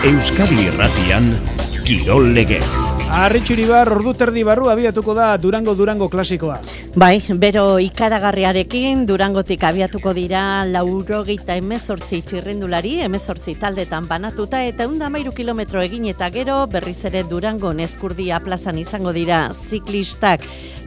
Euskadi Irratian, Kirol Legez. Arritxuribar, ordu terdi barru abiatuko da Durango klasikoa. Bai, bero ikaragarriarekin Durangotik abiatuko dira 98 txirrindulari, 18 taldetan banatuta eta 113 kilometro egin eta gero berriz ere Durango Eskurdia plazan izango dira ziklistak.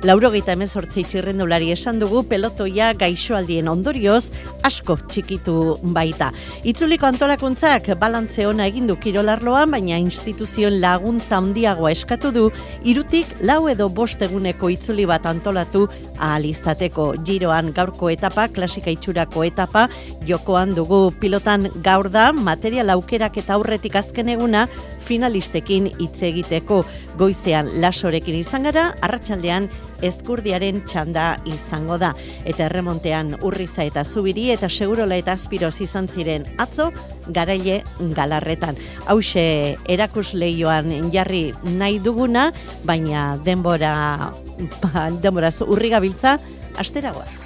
98 txirrindulari esan dugu pelotoia gaixoaldien ondorioz asko txikitu baita. Itzuliko antolakuntzak balantze ona egin du kirolarloan, baina instituzioen laguntza handiagoa eskatu du 3 edo 5 eguneko itzuli bat antolatu ahal izateko. Giroan gaurko etapa, klasika itxurako etapa, jokoan dugu pilotan gaur da, material aukerak eta aurretik azken eguna, finalistekin hitz egiteko. Goizean lasorekin izan gara, arratsaldean Eskurdiaren txanda izango da. Eta erremontean Urriza eta Zubiri eta Segurola eta Azpiroz izan ziren atzo, Garaile Galarretan. Hauxe erakusleioan jarri nahi duguna, baina denbora urri gabiltza, asteragoaz.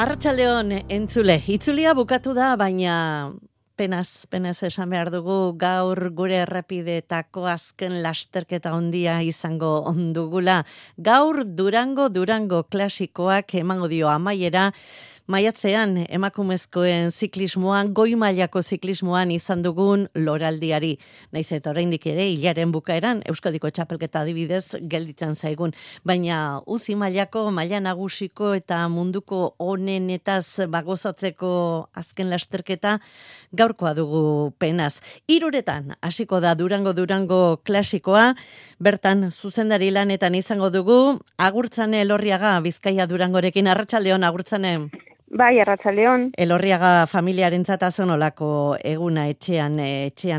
Arratsaldeon entzule, itzulia bukatu da, baina penaz esan behar dugu gaur gure errepideetako azken lasterketa handia izango ondugula. Gaur Durango klasikoak emango dio amaiera. Maiatzean emakumezkoen ziklismoan, goi mailako ziklismoan izan dugun loraldiari. Naiz eta oraindik ere hilaren bukaeran Euskadiko txapelketa adibidez gelditzen zaigun. Baina uzi mailako, maila nagusiko eta munduko honenetaz bagozatzeko azken lasterketa gaurkoa dugu penaz. 3 hasiko da Durango klasikoa, bertan zuzendari lanetan izango dugu, Agurtzane Elorriaga Bizkaia Durangorekin. Arratsaldeon Agurtzane. Bai, arratsaldeon. Elorriaga familiarentzat azonolako eguna etxean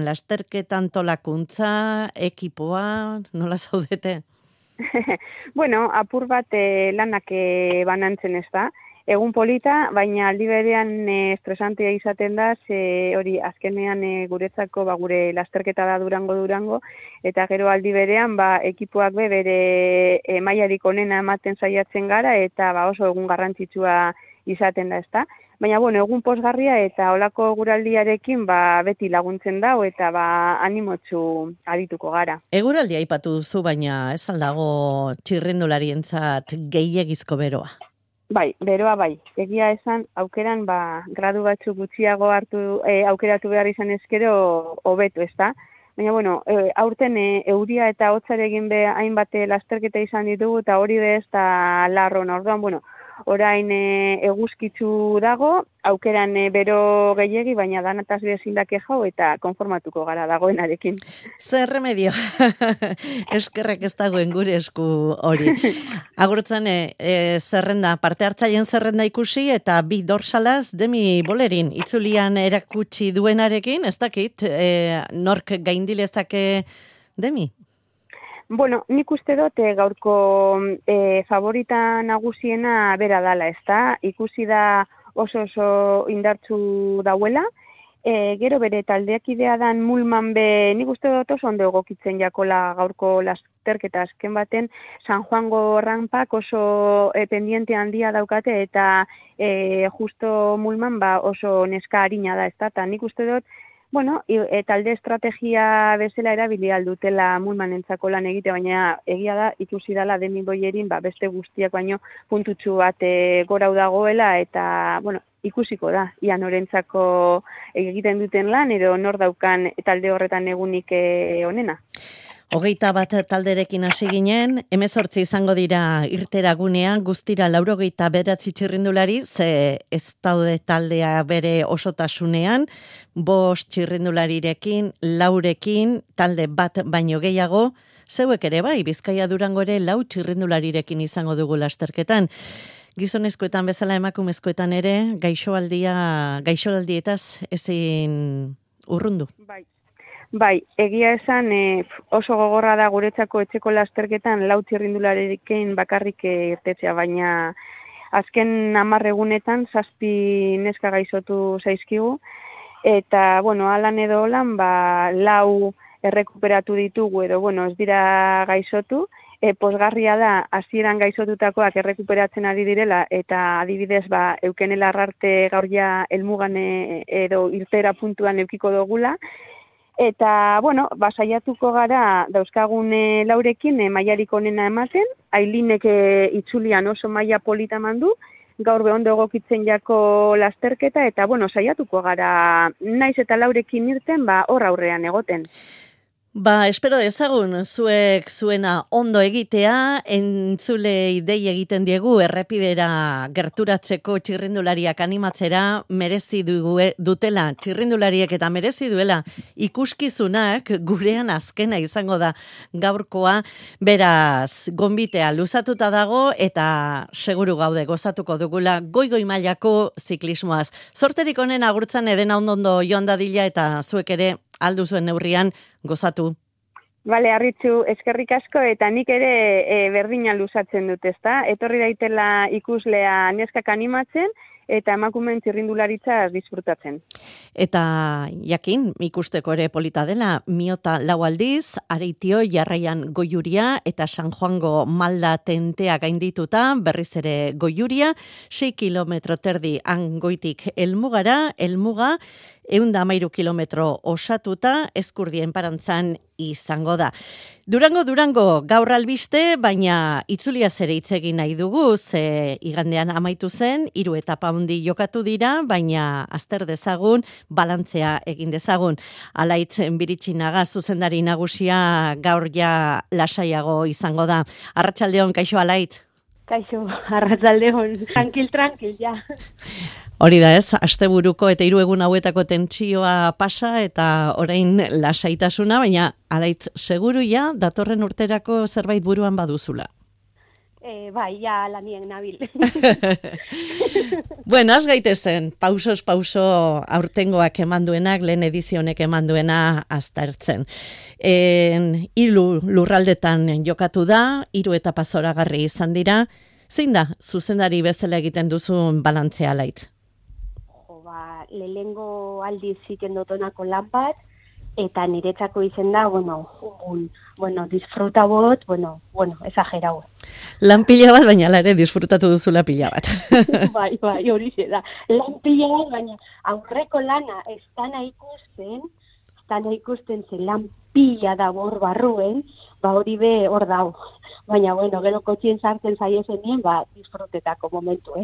lasterketan tolakuntza, ekipoa, nola zaudete? Bueno, apur bat lanak banantzen ez da. Egun polita, baina aldi berean estresantea izaten da, hori azkenean guretzako gure lasterketa da Durango, eta gero aldi berean ekipoak bere mailarik onena ematen saiatzen gara, eta oso egun garrantzitsua izaten da, ezta? Baina, egun pozgarria eta olako guraldiarekin beti laguntzen dau eta animotsu adituko gara. Eguraldia aipatu duzu, baina ez aldago txirrindularientzat gehiegizko beroa. Bai, beroa bai. Egia esan, aukeran gradu batzuk gutxiago aukeratu behar izan ezkero hobeto, ezta? Baina, aurten euria eta hotzarekin hainbat lasterketa izan ditugu eta hori ez da larron. Orduan, orain eguzkitzu dago, aukeran bero gehiegi, baina danataz bezindak jau eta konformatuko gara dagoenarekin. Zer remedio, eskerrek ez dagoen gure esku hori. Agurtzane, zerrenda, parte hartzaien zerrenda ikusi eta 2 dorsalaz Demi Bolerin itzulian erakutsi duenarekin, ez dakit, nork gaindilezake Demi? Bueno, nik uste dut gaurko favorita nagusiena bera dala, ezta? Ikusi da oso indartsu dauela. Gero bere taldeak idea dan Mulman nik uste dut oso ondo egokitzen jakola gaurko lasterketa azken baten. San Juango rampak oso pendiente handia daukate eta justo Mulman oso neska harina da, ezta? Ta nik uste dut talde estrategia bezala erabili aldutela Mulmanentzako lan egite, baina egia da ikusi dela Demi Bolerin beste guztiak baino puntutxu bat gorau dagoela eta ikusiko da ia norentzako egiten duten lan edo nor daukan talde horretan egunik onena. 21 talderekin hasi ginen, 18 izango dira irteragunean, guztira 89 txirrindulari, ze ez daude taldea bere osotasunean, 5 txirrindularirekin, 4rekin, talde bat baino gehiago, zeuek ere bai, Bizkaia Durango ere 4 txirrindularirekin izango dugu lasterketan. Gizonezkoetan bezala emakumezkoetan ere, gaixoaldietaz ezin urrundu. Bai, egia esan oso gogorra da guretzako etxeko lasterketan 4 txirrindularirekin bakarrik irtetzea, baina azken 10 egunetan 7 neska gaixotu zaizkigu, eta, alan edo holan, 4 errekuperatu ditugu edo, ez dira gaixotu, Pozgarria da, hasieran gaixotutakoak errekuperatzen ari direla, eta adibidez, eukenela arrarte gaur ja helmugan edo irtera puntuan eukiko dugula, eta, bueno, saiatuko gara dauzkagun laurekin mailarik onena ematen, Ailinek itzulian oso maila polita mandu, gaur ondo egokitzen jako lasterketa, eta, bueno, saiatuko gara naiz eta laurekin irten, hor aurrean egoten. Espero dezagun, zuek zuena ondo egitea, entzulei dei egiten diegu errepidera gerturatzeko txirrindulariak animatzera, merezi dutela txirrindulariek eta merezi duela ikuskizunak gurean azkena izango da gaurkoa, beraz gonbitea luzatuta dago eta seguru gaude gozatuko dugula goi mailako ziklismoaz. Zorterik honen agurtzan edena ondo joan dadila eta zuek ere aldu zuen neurrian gozatu. Bale, Arritxu, eskerrik asko, eta nik ere berdina luzatzen dut, ezta? Etorri daitela ikuslea neskak animatzen, eta emakumeen txirrindularitzaz disfrutatzen. Eta jakin, ikusteko ere polita dela, Miota 4 aldiz, Areitio Jarraian Goiuria, eta San Juango Malda tentea gaindituta, berriz ere Goiuria, 6 kilometro terdi Angoitik helmugara, helmuga, 113 kilometro osatuta, Ezkurdien parantzan izango da. Durango gaur albiste, baina itzulia zere hitz egin nahi dugu, ze igandean amaitu zen, 3 etapa handi jokatu dira, baina azter dezagun, balantzea egin dezagun. Alaitz Biritxinaga zuzendari nagusia gaur ja lasaiago izango da. Arratsaldeon, kaixo Alaitz? Kaixo, arratsaldeon, tranquil, ja. Hori da ez, asteburuko eta 3 egun hauetako tentsioa pasa eta orain lasaitasuna, baina Alaitz seguru ja datorren urterako zerbait buruan baduzula. Bai, ja lanien nabil. Bueno, az gaitezen, pauso aurtengoak emanduenak, lehen edizionek emanduena aztertzen. 3 lurraldetan jokatu da, 3 etapa zoragarri izan dira. Zein da, zuzendari bezala egiten duzun balantzea Alaitz? Lehengo aldiz ziken dotonako lan bat, eta niretzako izen da, disfruta bot, exagerau. Lan pila bat, baina ere disfrutatu duzula pila bat. Bai, hori da. Lan pila bat, baina aurreko lana ez dana ikusten zen lan pila da bor barruen, hori be hor dau. Baina, gero kotxien sartzen zaiezenien, disfrutetako momentu,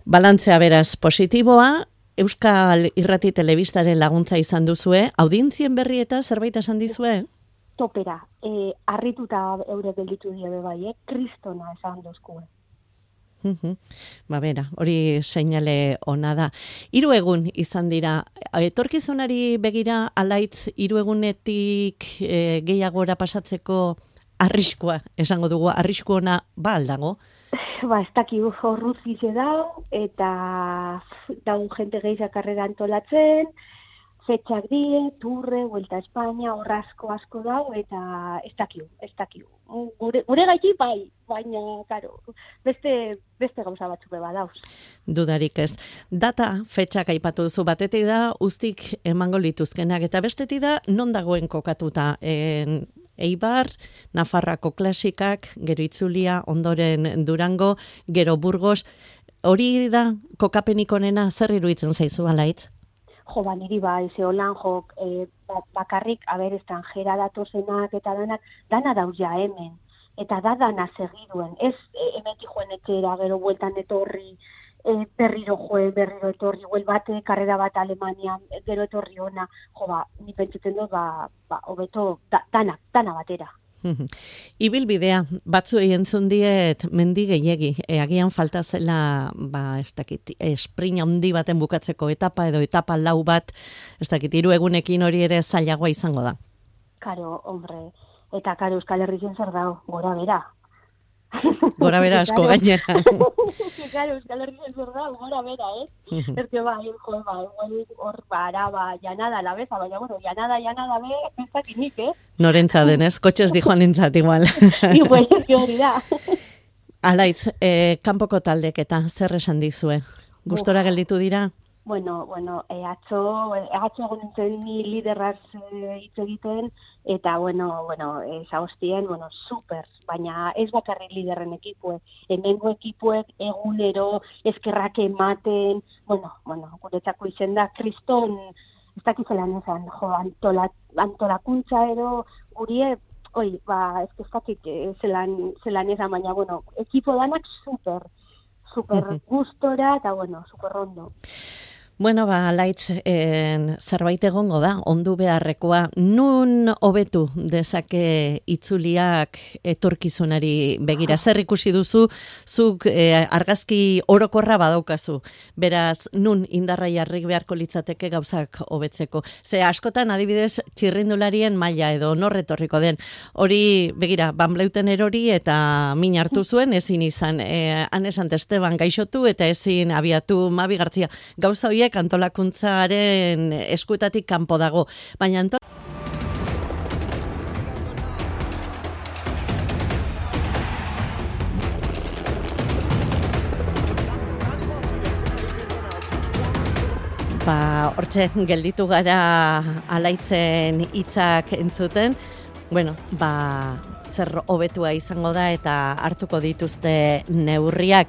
Balantzea beraz positiboa, Euskal Irrati Telebistaren laguntza izan duzue, audientzien berri eta zerbait esan dizue? Topera, harrituta eure gelditu die bai, kristona esan dozkue. Bera, hori seinale ona da. 3 egun izan dira, etorkizunari begira Alaitz 3 egunetik gehiagora pasatzeko arriskua, esango dugu, arrisku ona aldago? Ez dakigu horruzize dau, eta daun jente gehiza karrera antolatzen, fetxak die, Turre, Vuelta a España, asko dau, eta ez dakigu. Gure gaiti bai, baina, karo, beste gauza batzuk beba dauz. Dudarik ez. Data, fetxak aipatu duzu, batetik da, uztik emango lituzkenak, eta bestetik da, non dagoen kokatuta, Eibar, Nafarrako klasikak, gero Itzulia, ondoren Durango, gero Burgos, hori da kokapenik onena, zer iruditzen zaizu Alaitz? Niri bai, zeholan jok, bakarrik, estrangera datozenak eta dana dauz ja hemen, eta dana segiduen, ez emeti joen etxera, gero bueltan etorri, berriro etorri, bate, karrera bat Alemanian, gero etorri ona, ni pentsatzen dut, hobeto, dana batera. Ibilbidea, batzuei entzun diet mendi gehiegi, agian falta zela, sprint handi baten bukatzeko etapa edo etapa 4 bat, 3 egunekin hori ere zailagoa izango da. Karo, hombre, eta karo Euskal Herrien zer dago, gora bera. Gora bera asko gainera. Claro, Euskal Herrien zer dago, gora bera, Ertio hor Araba, Llanada, la beza, baina, Llanada, ez dakinik, Norentza denez, kotxez dijoan entzat igual. Igual, hori da. Alaitz, kanpoko taldek eta zer esan dizue? Gustora gelditu dira? atzo egon nintzen ni liderraz hitz egiten, eta, zagoztien, super, baina ez bakarrik liderren ekipuek, hemengo ekipuek egunero eskerrak ematen, guretzako izen da, kriston, ez dakizelan ezan, antolakuntza edo, gurie, ez dakik zelan ezan, baina, ekipo danak super gustora, eta, super ondo. Laitz, zerbait egongo da, ondu beharrekoa, nun hobetu dezake itzuliak etorkizunari begira? Zer ikusi duzu, zuk argazki orokorra badaukazu, beraz, nun indarra jarri beharko litzateke gauzak hobetzeko. Ze askotan, adibidez, txirrindularien maila edo norretorriko den. Hori, begira, Van Bleuten erori eta min hartu zuen, ezin izan, Ane Santesteban gaixotu eta ezin abiatu Mabi Gartzia. Gauza horiek antolakuntzaren eskuetatik kanpo dago. Baina hortxe gelditu gara Alaitzen hitzak entzuten. Zer hobetua izango da eta hartuko dituzte neurriak.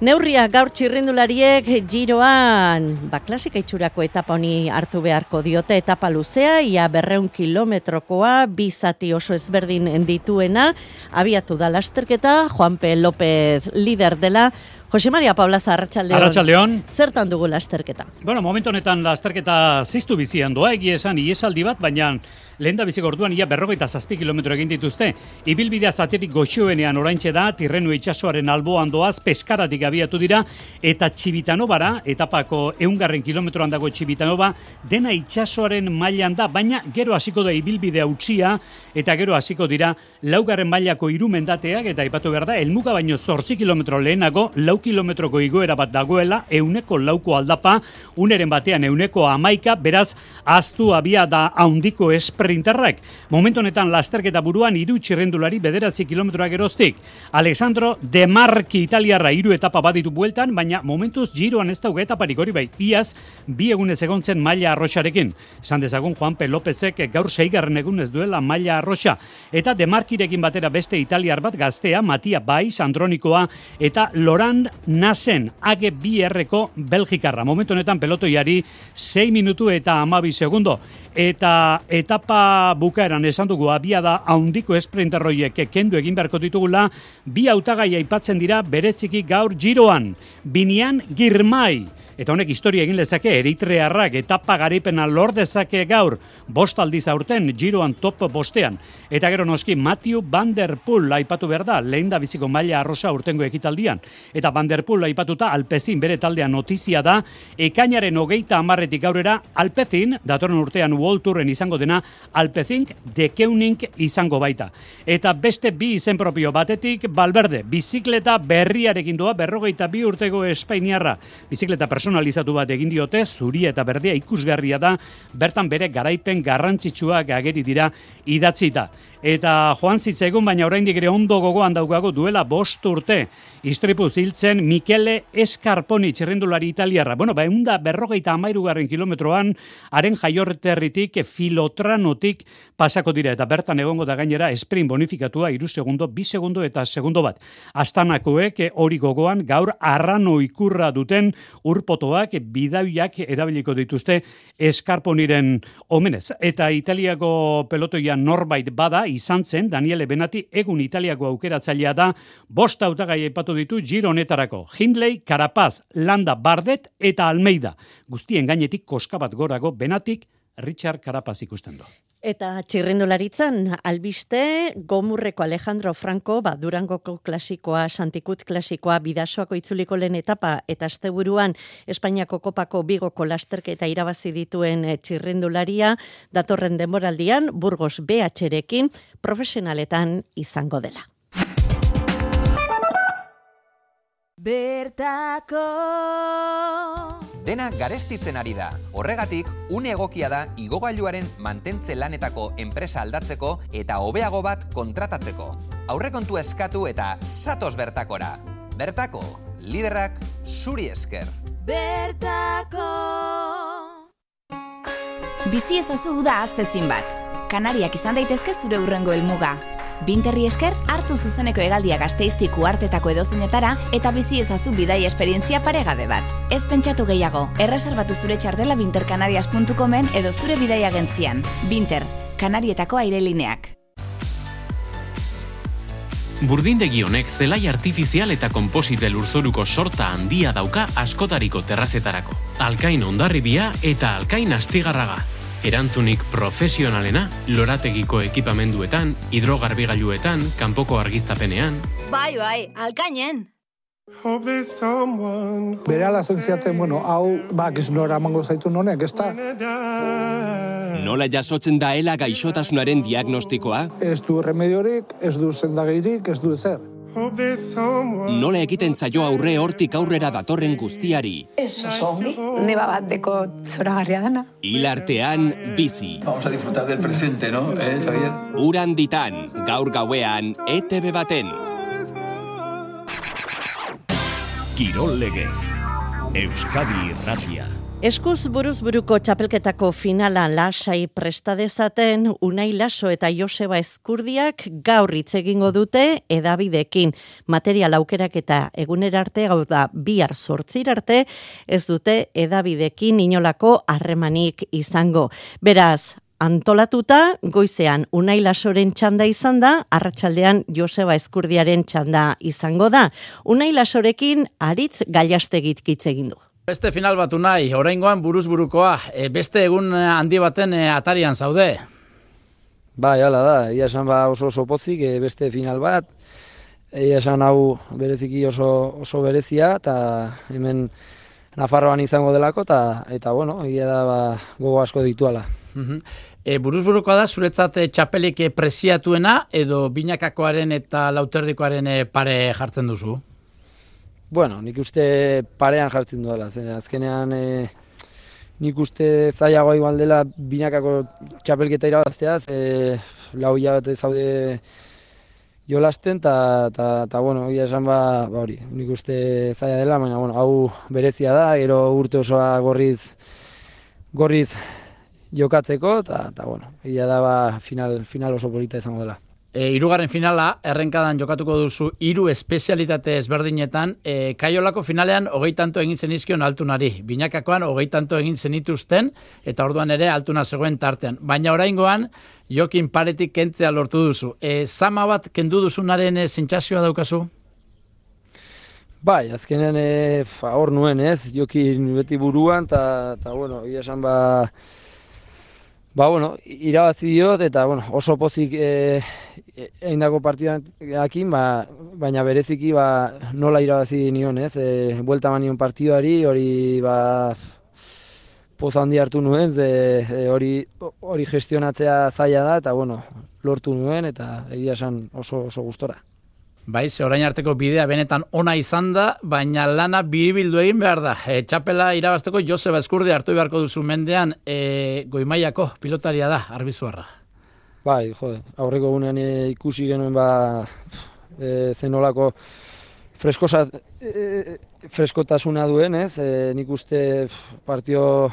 Neurriak gaur txirrindulariek Giroan, klasika itxurako etapa honi hartu beharko diote, etapa luzea, ia 200 kilometrokoa, 2 zati oso ezberdin dituena, abiatu da lasterketa, Juanpe López lider dela. Jose Maria Paulaza, arratsaldeon. Zertan dugu lasterketa? Momentu honetan lasterketa ziztu bizian doa, egia esan iesaldi bat, baina lehen da biziko orduan ia 47 kilometro egin dituzte. Ibilbidea zaterik goxoenean oraintxe da, Tirrenu itsasoaren alboan doaz, Peskaratik abiatu dira, eta Txibitanobara, etapako 100 kilometroan dago Txibitanova, dena itsasoaren mailan da, baina gero hasiko da ibilbidea utxia, eta gero hasiko dira 4. mailako 3 mendateak, eta aipatu behar da, helmuga baino 8 kilometro lehenago, 4 kilometroko igoera bat dagoela, 100 aldapa, uneren batean 111, beraz, aztu abia da haundiko esprinterrak. Momentu honetan lasterketa buruan 3 txirrendulari 9 kilometroak geroztik. Alessandro De Marchi italiarra 3 etapa baditu bueltan, baina momentuz Giroan ez dauka etaparik hori bai. Iaz, 2 egunez egontzen Maila Arroxarekin. Esan dezagun Juanpe Lópezek gaur 6. egunez duela Maila Arroxa. Eta De Marchirekin batera beste italiar bat gaztea, Matia Baiz, Andronikoa, eta Laurent Nasen, AG2Rko Belgikarra. Momentu honetan pelotoiari 6 minutu eta 12 segundo. Eta etapa bukaeran esan dugu abiada haundiko esprinterroiek kendu egin beharko ditugula, 2 hautagai aipatzen dira bereziki gaur Giroan. Binian Girmay. Eta honek historia egin lezake, eritrearrak etapa garaipena lor dezake gaur, 5 aldiz aurten Giroan top 5. Eta gero noski Mathieu Van Der Poel aipatu behar da, lehen da biziko Maila Arroxa urtengo ekitaldian. Eta Van Der Poel aipatuta Alpecin bere taldea notizia da, ekainaren 30 gaurera Alpecin, datorren urtean World Touren izango dena, Alpecin de Keuning izango baita. Eta beste 2 izen propio batetik, Valverde, bizikleta berriarekin doa, 42 urtego espainiarra, bizikleta personalizatu bat egin diote, zuria eta berdea ikusgarria da, bertan bere garaipen garrantzitsuak ageri dira idatzita. Eta joan zitzaigun, baina oraindik ere ondo gogoan daukago duela 5 urte. Istripuz hiltzen Michele Scarponi txirrindulari italiarra. 153 kilometroan, haren jaiorterritik Filotranotik pasako dira. Eta bertan egongo da gainera sprint bonifikatua 3 segundo, 2 segundo eta segundo bat. Astanakoek hori gogoan gaur arrano ikurra duten urpotoak, bidaiak erabiliko dituzte Scarponiren omenez. Eta Italiako pelotoia norbait bada, izan zen, Daniele Benati egun Italiako aukeratzailea da, 5 hautagai aipatu ditu Giro honetarako. Hindley, Carapaz, Landa, Bardet eta Almeida. Guztien gainetik koska bat gorago Benatik Richard Carapaz ikusten du. Eta txirrindularitzan albiste Gomurreko Alejandro Franco, Durangoko klasikoa, Santikut klasikoa, Bidasoako itzuliko lehen etapa eta asteburuan Espainiako kopako Bigoko lasterketa irabazi dituen txirrindularia, datorren denboraldian Burgos BH-rekin profesionaletan izango dela. Bertako dena garestitzen ari da. Horregatik, une egokia da igogailuaren mantentze lanetako enpresa aldatzeko eta hobeago bat kontratatzeko. Aurrekontua eskatu eta zatoz bertakora. Bertako, liderrak zuri esker. Bertako. Bizi ezazu uda aztezin bat. Kanariak izan daitezke zure hurrengo helmuga. Binterri esker, hartu zuzeneko hegaldia Gasteiztik uhartetako edozeinetara eta bizi ezazu bidai esperientzia paregabe bat. Ez pentsatu gehiago, erreserbatu zure txartela bintercanarias.comen edo zure bidai agentzian. Binter, Kanarietako airelineak. Burdindegi honek zelai artifizial eta konposite lurzoruko sorta handia dauka askotariko terrazetarako. Alkain Hondarribia eta Alkain Astigarraga. Erantzunik profesionalena, lorategiko ekipamenduetan, hidrogarbigailuetan, kanpoko argiztapenean. Bai, alkainen. Berehala zentziaten, hau bakiz nora emango zaitu honek, ez da? Nola jasotzen daela gaixotasunaren diagnostikoa? Ez du remediorik, ez du sendagirik, ez du ezer. Nola egiten zaio aurre hortik aurrera datorren guztiari? Ez oso ongi, neba bat deko zoragarria dana. Hil artean bizi. Vamos a disfrutar del presente, ¿no? Xavier? Uran ditan, gaur gauean, ETV baten. Kirol legez, Euskadi Irratia. Eskuz buruz buruko txapelketako finala lasai prestadezaten Unai Laso eta Joseba Ezkurdiak gaur hitz egingo dute hedabideekin. Material aukerak eta egunera arte, hau da bihar 8 arte, ez dute hedabideekin inolako harremanik izango. Beraz, antolatuta, goizean Unai Lasoren txanda izan da, arratsaldean Joseba Ezkurdiaren txanda izango da. Unai Lasorekin Aritz Gallastegik hitz egin du. Beste final bat Unai, oraingoan buruz burukoa, beste egun handi baten atarian zaude. Bai, hala da, ia esan oso pozik, beste final bat, ia esan hau bereziki oso berezia, eta hemen Nafarroan izango delako, eta bueno, ia da gogo asko dituala. Buruz burukoa da, zuretzat txapelik preziatuena, edo binakakoaren eta lauterdikoaren pare jartzen duzu? Bueno, nik uste parean jartzen duela, azkenean nik uste zailagoa igual dela binakako txapelketa irabazteaz, lau hilabete zaude jolasten, eta bueno, ia esan hori, nik uste zaila dela, baina bueno, hau berezia da, gero urte osoa gorriz jokatzeko, eta bueno, ia da final oso polita izango dela. Hirugarren finala, errenkadan jokatuko duzu 3 espezialitate ezberdinetan, Kaiolako finalean 20 egin zenizkion Altunari, binakakoan 20 egin zenituzten, eta orduan ere Altuna zegoen tartean. Baina oraingoan, Jokin paretik kentzea lortu duzu. Zama bat kendu duzunaren sentsazioa daukazu? Bai, azkenean hor nuen Jokin beti buruan, eta bueno, ia esan bueno, irabazi diot, eta bueno, oso pozik eindako partidakin, baina bereziki nola irabazi nion, buelta manion partiduari, hori poza handi hartu nuen, hori gestionatzea zaila da, eta bueno, lortu nuen, eta egia esan oso gustora. Bai, orain arteko bidea benetan ona izan da, baina lana biribildu egin behar da. Txapela irabazteko Joseba Ezkurdi hartu beharko duzu mendean, Goi-mailako pilotaria da, Arbizuarra. Bai, aurreko gunean ikusi genuen zenolako freskotasuna duen, nik uste partio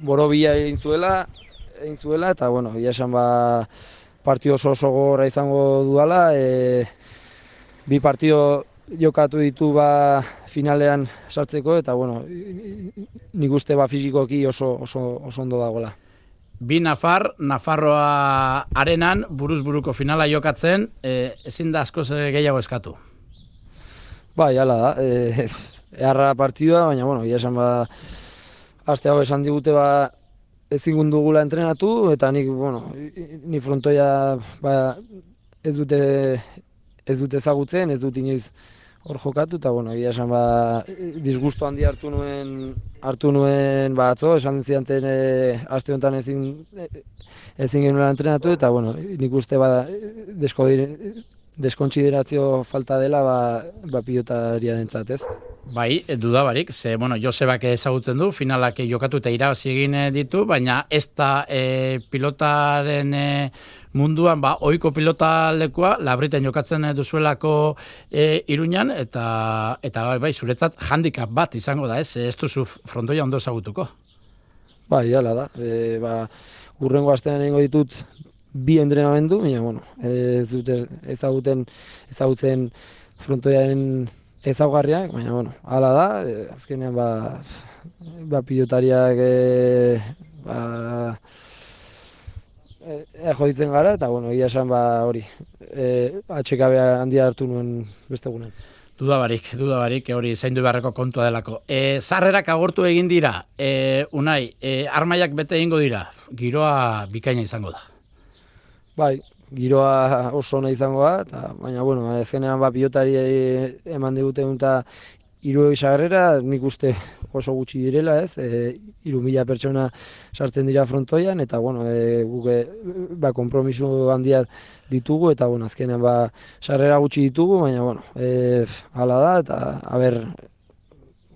borobila egin zuela, eta bueno, ia esan partio oso gogorra izango duela, bi partio jokatu ditu finalean sartzeko, eta bueno, nik uste fisikoki oso ondo dagoela. Bi Nafarroa arenan, buruz buruko finala jokatzen, ezin da askoz gehiago eskatu. Bai, hala da, eharra partidua, baina bueno, ia esan aste hau esan digute ezin dugula entrenatu, eta nik, bueno, ni frontoia ez dute ezagutzen, ez dut inoiz hor jokatu, eta bueno, egia esan disgusto handi hartu nuen atzo, esan zianten aste honetan ezin genuela entrenatu, eta bueno, nik uste deskontsiderazio falta dela pilotariarentzat, ez? Bai, dudabarik, Josebak ezagutzen du, finalak jokatu eta irabazi egin ditu, baina ez da pilotaren munduan, ohiko pilotalekua, Labriten jokatzen duzuelako Iruñan, eta bai, zuretzat handicap bat izango da, ez duzu frontoia ondo ezagutuko. Bai, hala da, urrengo astean egingo ditut 2 entrenamendu, baina, ez dut ezagutzen frontoiaren ezaugarriak, baina, hala da, azkenean, pilotariak joditzen gara, eta, egia esan, hori, atxekabe handia hartu nuen beste egunen. Dudabarik, hori zaindu beharreko kontua delako. Sarrerak agortu egin dira, Unai, armaiak bete egingo dira, giroa bikaina izango da. Bai, giroa oso ona izango da, baina, azkenean pilotari eman diguten eta 3 sarrera, nik uste oso gutxi direla, ez? 3.000 pertsona sartzen dira frontoian, eta, guk konpromiso handia ditugu, eta, azkenean sarrera gutxi ditugu, baina, hala da, eta,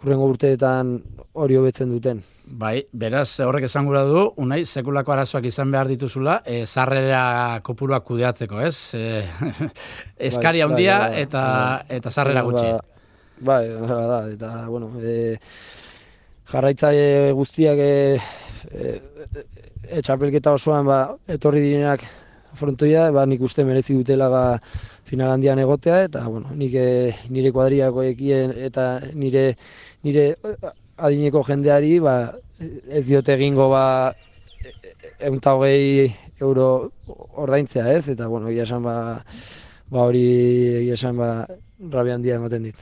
hurrengo urteetan hori hobetzen duten. Bai, beraz, horrek esan gura du, Unai, sekulako arazoak izan behar dituzula, sarrera kopuruak kudeatzeko, ez? Eskari handia eta sarrera gutxi. Bai, hala da, eta, jarraitzaile guztiak txapelketa osoan etorri direnak frontoia, nik uste merezi dutela final handian egotea, eta, nik nire kuadriakoekien eta nire adineko jendeari, ez diote egingo €120 ordaintzea, ez? Eta, egia esan, hori, egia esan, rabia handia ematen dit.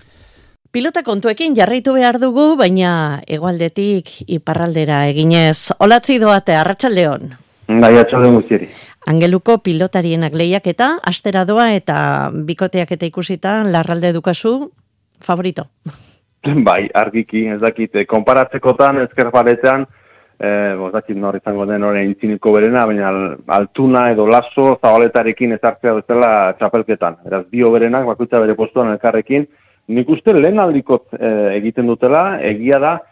Pilota kontuekin jarraitu behar dugu, baina hegoaldetik iparraldera eginez. Olatzi doate, arratsaldeon. Bai, arratsaldeon guztieri. Angeluko pilotarienak lehiaketa, astera doa eta bikoteak eta ikusita, Larralde dukazu, favorito? Bai, argiki, ez dakit, konparatzekotan, ezker paletean, ez dakit nor izango den horrein intziniko berena, baina Altuna edo Lasso zabaletarekin ezartzea bezala txapelketan. Beraz, bio berenak, bakoitza bere postuan elkarrekin, nik uste lehen aldikot egiten dutela, egia da,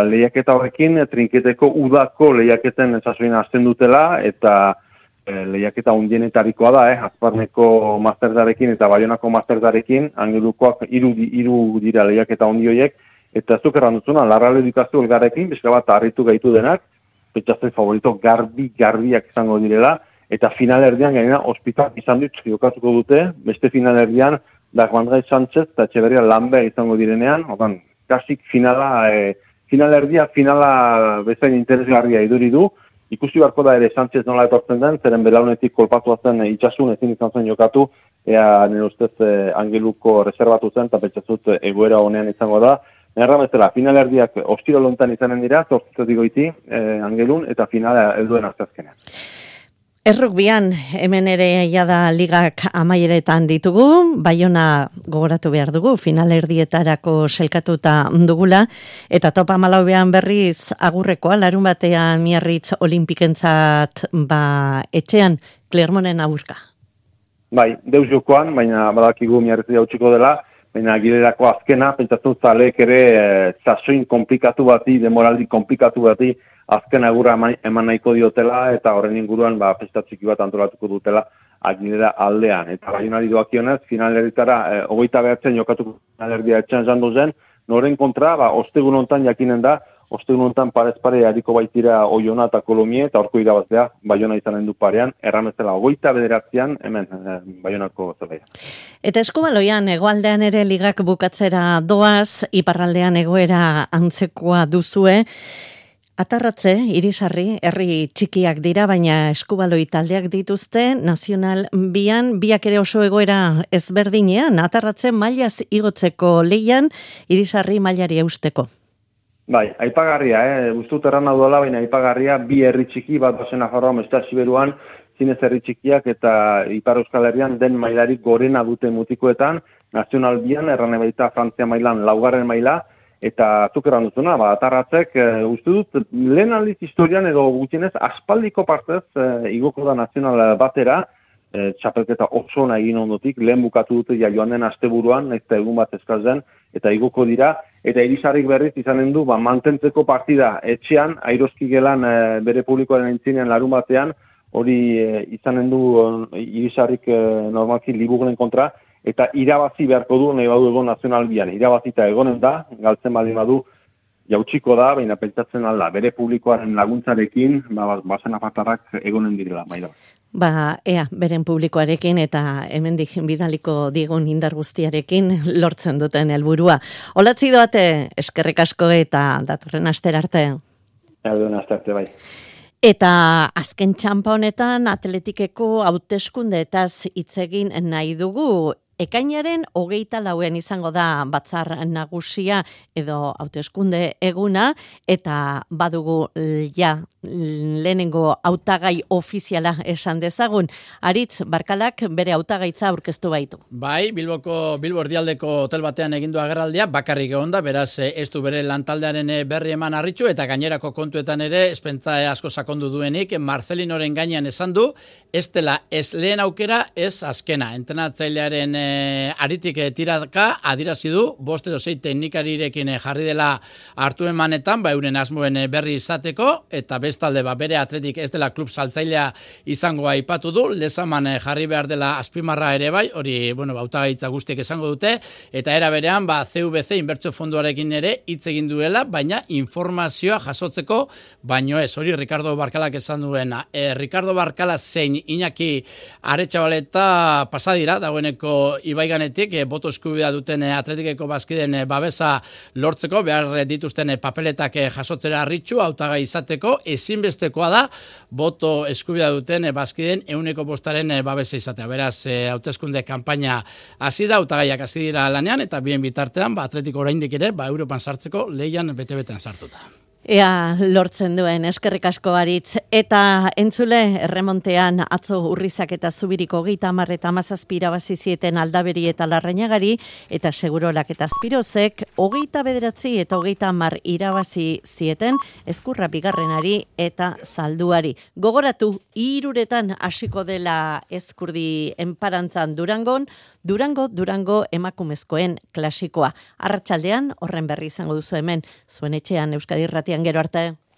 lehiaketa horrekin, trinketeko udako lehiaketen sasoin hasten dutela, eta lehiaketa hundienetarikoa da, Azparneko masterdarekin eta Baionako masterdarekin, Angelukoak 3 dira lehiaketa hundioiek, eta zuk erranduzuna, Larralde dikazu elgarrekin, bizka bat harritu gaitu denak, petxazen favorito garbiak izango direla, eta finalerdian gainera ospital izan dut jokatuko dute, beste finalerdian, Dagmandrai Sánchez eta Etxeberria Lambert izango direnean, kasik finala bezain interesgarria iduri du, ikusi beharko da ere Sánchez nola etortzen den, zeren belaunetik kolpatua zen itxasun ezin izan zen jokatu, nire ustez Angeluko reservatu zen, eta petxazut egoera honean izango da. Nerra bezala, finalerdiak ostiro lontan izanen dira, zortzitzat digoiti Angelun, eta finala helduen azazkenean. Errukbian, hemen ere jada ligak amaieretan ditugu, Baiona gogoratu behar dugu, finalerdietarako selkatuta dugula, eta topa malaubean berriz agurrekoa, larun batean Miarritz olimpikentzat etxean, Clermonten aurka. Bai, deus jokoan, baina badakigu Miarritz jautsiko dela, baina gilerako azkena, pentsatzen zaleek ere sasoin komplikatu bati, demoraldi komplikatu bati, azken agurra eman nahiko diotela, eta horren inguruan festa txiki bat antolatuko dutela Agilera aldean. Eta Baionari doakionez, finalerdietara 29 jokatuko finalerdia etxean jandu zen, noren kontra, ostegun hontan jakinen da, ostegun hontan parez pare hariko baitira Oiona eta Kolomie, eta horko irabaztea Baiona izanen du parean, erramezela 29 hemen Baionako zelaia. Eta eskubaloian, hegoaldean ere ligak bukatzera doaz, iparraldean egoera antzekoa duzue, Atarratze, Irisarri, herri txikiak dira, baina eskubaloi taldeak dituzte, Nazional biak ere oso egoera ezberdinean, Atarratze mailaz igotzeko leian, Irisarri mailari eusteko. Bai, aipagarria, guztut erran duela, baina aipagarria, 2 herri txiki, bat dozen Nafarroa, Mestea Siberuan, zinez herri txikiak eta Ipar Euskal Herrian den mailarik gorena dute mutikoetan, Nazional bian, erran baita Frantzia mailan, 4. maila, eta zuk erran duzuna, Atarratzek, uste dut, lehen aldiz historian edo gutxienez, aspaldiko partez igoko da Nazional batera, txapelketa oso ona egin ondotik, lehen bukatu dute joan den asteburuan, eta egun bat eskazen, eta igoko dira, eta Irisarrik berriz izanen du, mantentzeko partida etxean, Airoski gelan bere publikoaren aintzinean larun batean, hori izanen du Irisarrik normalki Liburnen kontra, eta irabazi beharko du nahi badu egon nazionalbian. Irabazita egonen da, galtzen baldin badu, jautsiko da, baina pentsatzen alda, bere publikoaren laguntzarekin, bazen afartarrak egonen direla, bai da. Ea, beren publikoarekin eta hemendik bidaliko digun indar guztiarekin lortzen duten helburua. Olatzi doate, eskerrik asko eta datorren astera arte. Datorren astera arte, bai. Eta azken txanpa honetan atletikeko hauteskundeetaz hitz egin nahi dugu. Ekainaren 24 izango da batzar nagusia edo hauteskunde eguna, eta badugu lehenengo hautagai ofiziala esan dezagun. Aritz Barkalak bere hautagaitza aurkeztu baitu. Bai, Bilbo erdialdeko hotel batean egindu agerraldia, bakarrik egon da, beraz ez du bere lantaldearen berri eman harritxu, eta gainerako kontuetan ere, espentza asko sakondu duenik, Marcelinoren gainean esan du, ez dela ez lehen aukera, ez azkena. Entrenatzailearen aritik tiraka adirazi du, 5 edo 6 teknikarirekin jarri dela hartu emanetan, euren asmoen berri izateko, eta bestalde bere atletik ez dela klub saltzailea izango aipatu du, lezaman jarri behar dela azpimarra ere bai, hori, hautagaitza guztiek esango dute, eta era berean, CVC inbertsio fonduarekin ere hitz egin duela, baina informazioa jasotzeko, baino ez, hori Ricardo Barkalak esan duena. Ricardo Barkala zein Iñaki Aretxabaleta pasadira, dagoeneko Ibaiganetik, boto eskubidea duten atletikeko bazkiden babesa lortzeko, behar dituzten papeletak jasotzera harritxu, hautagai izateko, ezinbestekoa da, boto eskubidea duten bazkiden 100% babesa izatea. Beraz, hauteskunde kanpaina hasi da, hautagaiak hasi dira lanean, eta bien bitartean, atletiko oraindik ere, Europan sartzeko lehian bete-betean sartuta. Ea lortzen duen, eskerrik asko Aritz. Eta entzule, erremontean atzo Urrizak eta Zubiriko 30 eta 17 irabazi zieten Aldaberi eta Larrañagari, eta Segurolak eta Azpirozek 29 eta 30 irabazi zieten Ezkurra bigarrenari eta Zalduari. Gogoratu, 3 hasiko dela Ezkurdi enparantzan Durango emakumezkoen klasikoa. Arratsaldean horren berri izango duzu hemen, zuen etxean Euskadi Irratian, gero arte.